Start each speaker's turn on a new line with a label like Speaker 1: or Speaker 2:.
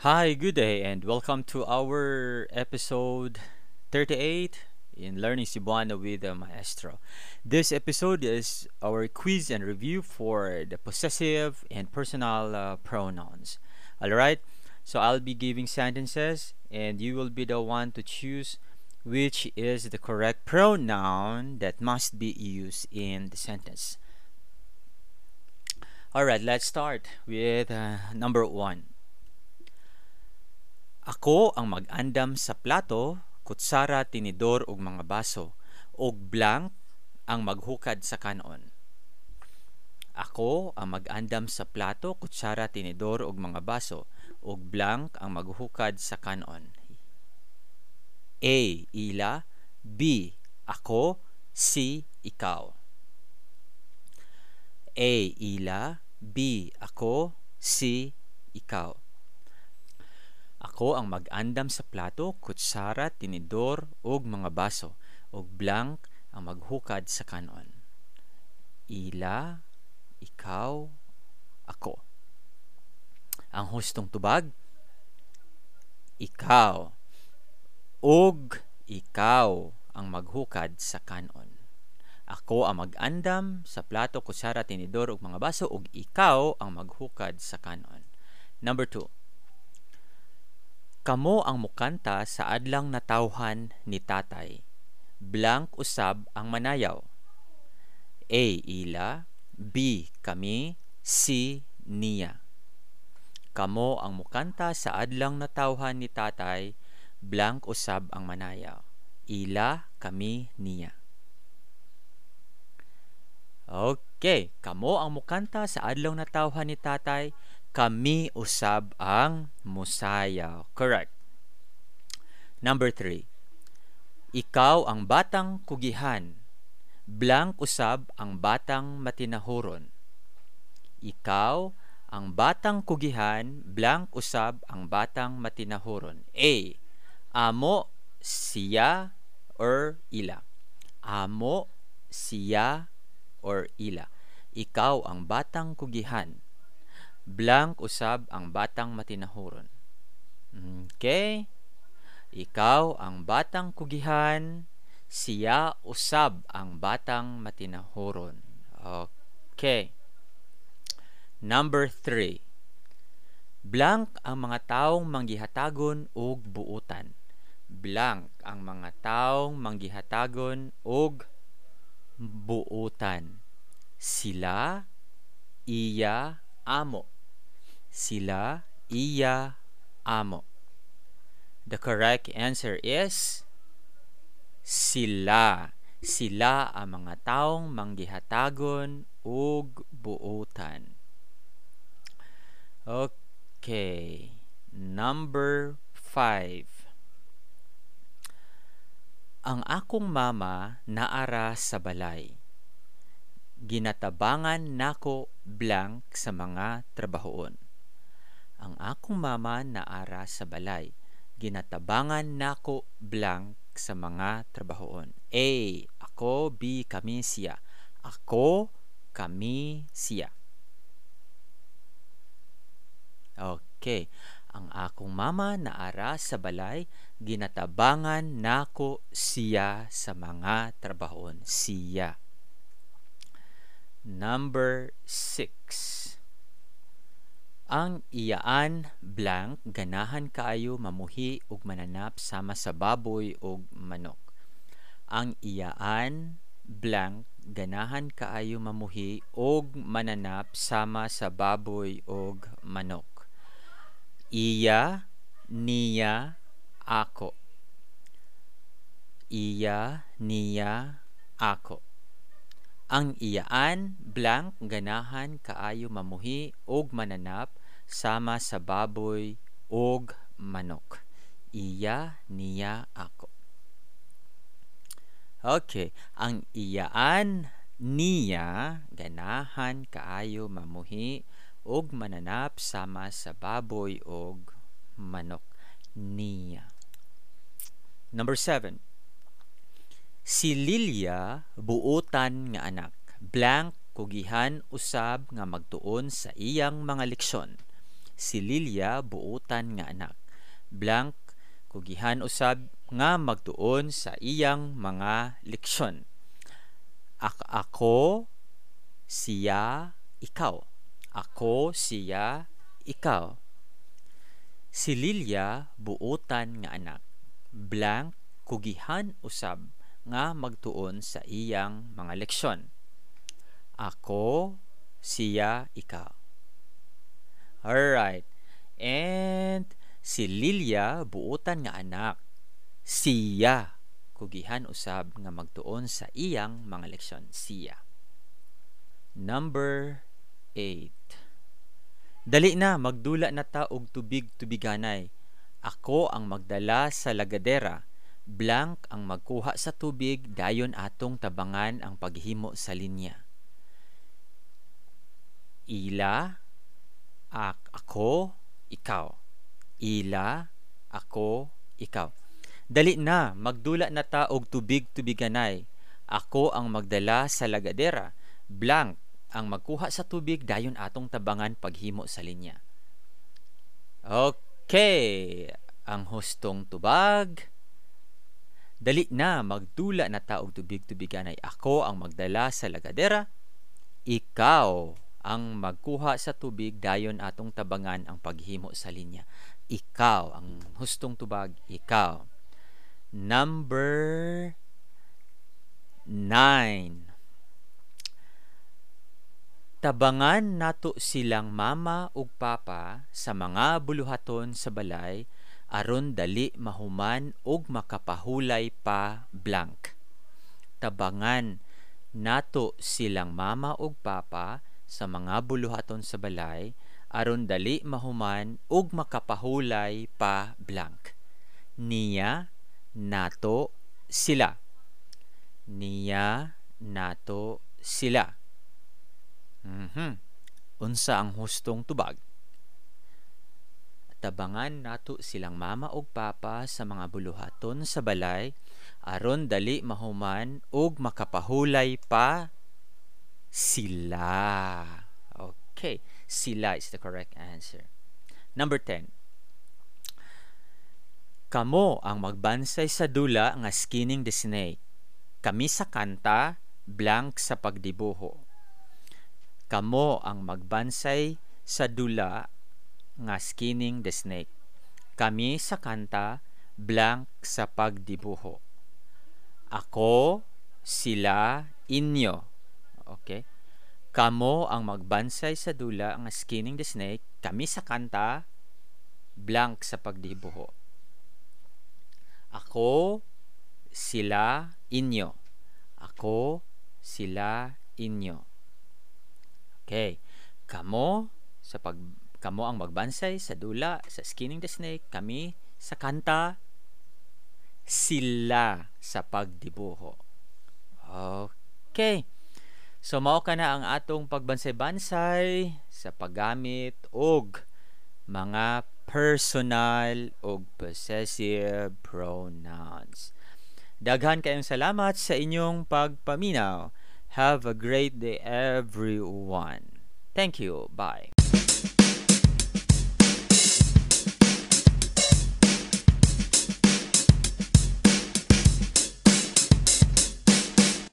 Speaker 1: Hi, good day, and welcome to our episode 38 in Learning Cebuano with the Maestro. This episode is our quiz and review for the possessive and personal pronouns. Alright, so I'll be giving sentences, and you will be the one to choose which is the correct pronoun that must be used in the sentence. Alright, let's start with number 1. Ako ang mag-andam sa plato, kutsara, tinidor ug mga baso, ug blank ang maghukad sa kanon. Ako ang mag-andam sa plato, kutsara, tinidor ug mga baso, ug blank ang maghukad sa kanon. A. Ila. B. Ako. C. Ikaw. A. Ila. B. Ako. C. Ikaw. Ako ang mag-andam sa plato, kutsara, tinidor ug mga baso, ug blank ang maghukad sa kanon. Ila, ikaw, ako. Ang hustong tubag, ikaw. Ug ikaw ang maghukad sa kanon. Ako ang mag-andam sa plato, kutsara, tinidor ug mga baso, ug ikaw ang maghukad sa kanon. Number 2. Kamo ang mukanta sa adlang natawhan ni tatay. Blank usab ang manayaw. A. Ila. B. Kami. C. Niya. Kamo ang mukanta sa adlang natawhan ni tatay. Blank usab ang manayaw. Ila, kami, niya. Okay. Kamo ang mukanta sa adlaw natawhan ni tatay. Kami usab ang musayaw. Correct. Number 3. Ikaw ang batang kugihan. Blank usab ang batang matinahuron. Ikaw ang batang kugihan. Blank usab ang batang matinahuron. A. Amo, siya, or ila. Amo, siya, or ila. Ikaw ang batang kugihan. Blank usab ang batang matinahuron. Okay? Ikaw ang batang kugihan, siya usab ang batang matinahuron. Okay. Number 3. Blank ang mga taong manggihatagon og buutan. Blank ang mga taong manggihatagon og buutan. Sila, iya, amo. Sila, iya, amo. The correct answer is sila. Sila ang mga taong manggihatagon og buutan. Okay. Number 5. Ang akong mama naara sa balay. Ginatabangan nako blank sa mga trabahoon. Ang akong mama naara sa balay. Ginatabangan nako blank sa mga trabahoon. A. Ako. B. Kami, siya. Ako, kami, siya. Okay. Ang akong mama naara sa balay. Ginatabangan nako siya sa mga trabahoon. Siya. Number 6. Ang iyaan blank ganahan kaayo mamuhi ug mananap sama sa baboy ug manok. Ang iyaan blank ganahan kaayo mamuhi ug mananap sama sa baboy ug manok. Iya, niya, ako. Iya, niya, ako. Ang iyaan blank ganahan kaayo mamuhi ug mananap sama sa baboy ug manok. Iya, niya, ako. Okay, ang iyaan niya ganahan kaayo mamuhi ug mananap sama sa baboy ug manok. Niya. Number 7. Si Lilia buotan nga anak. Blank kugihan usab nga magtuon sa iyang mga leksyon. Si Lilia buutan nga anak. Blank kugihan usab nga magtuon sa iyang mga leksyon. Ako, siya, ikaw. Ako, siya, ikaw. Si Lilia buutan nga anak. Blank kugihan usab nga magtuon sa iyang mga leksyon. Ako, siya, ikaw. Alright. And si Lilia buutan nga anak. Siya kugihan usab nga magtuon sa iyang mga leksyon. Siya. Number 8. Dali na, magdula na ta og tubig-tubiganay. Ako ang magdala sa lagadera. Blank ang magkuha sa tubig, dayon atong tabangan ang paghimo sa linya. Ila, ako, ikaw. Ila, ako, ikaw. Dali na, magdula na ta og tubig-tubiganay. Ako ang magdala sa lagadera. Blank ang magkuha sa tubig, dayon atong tabangan paghimo sa linya. Okay, ang hustong tubag. Dali na, magdula na ta og tubig-tubiganay. Ako ang magdala sa lagadera. Ikaw ang magkuha sa tubig, dayon atong tabangan ang paghimo sa linya. Ikaw ang hustong tubag, ikaw. Number 9. Tabangan nato silang mama ug papa sa mga buluhaton sa balay aron dali mahuman ug makapahulay pa blank. Tabangan nato silang mama ug papa sa mga buluhaton sa balay aron dali mahuman ug makapahulay pa blank. Niya, nato, sila. Niya, nato, sila. Unsa ang hustong tubag? Tabangan nato silang mama ug papa sa mga buluhaton sa balay aron dali mahuman ug makapahulay pa sila. Okay, sila is the correct answer. Number 10. Kamo ang magbansay sa dula nga Skinning the Snake. Kami sa kanta, blank sa pagdibuho. Kamo ang magbansay sa dula nga Skinning the Snake. Kami sa kanta, blank sa pagdibuho. Ako, sila, inyo. Okay? Kamo ang magbansay sa dula nga Skinning the Snake. Kami sa kanta, blank sa pagdibuho. Ako, sila, inyo. Ako, sila, inyo. Okay. Kamo ang magbansay sa dula sa Skinning the Snake, kami sa kanta, sila sa pagdibuho. Okay. So mao ka na ang atong pagbansay-bansay sa paggamit og mga personal og possessive pronouns. Daghan kayong salamat sa inyong pagpaminaw. Have a great day, everyone. Thank you. Bye.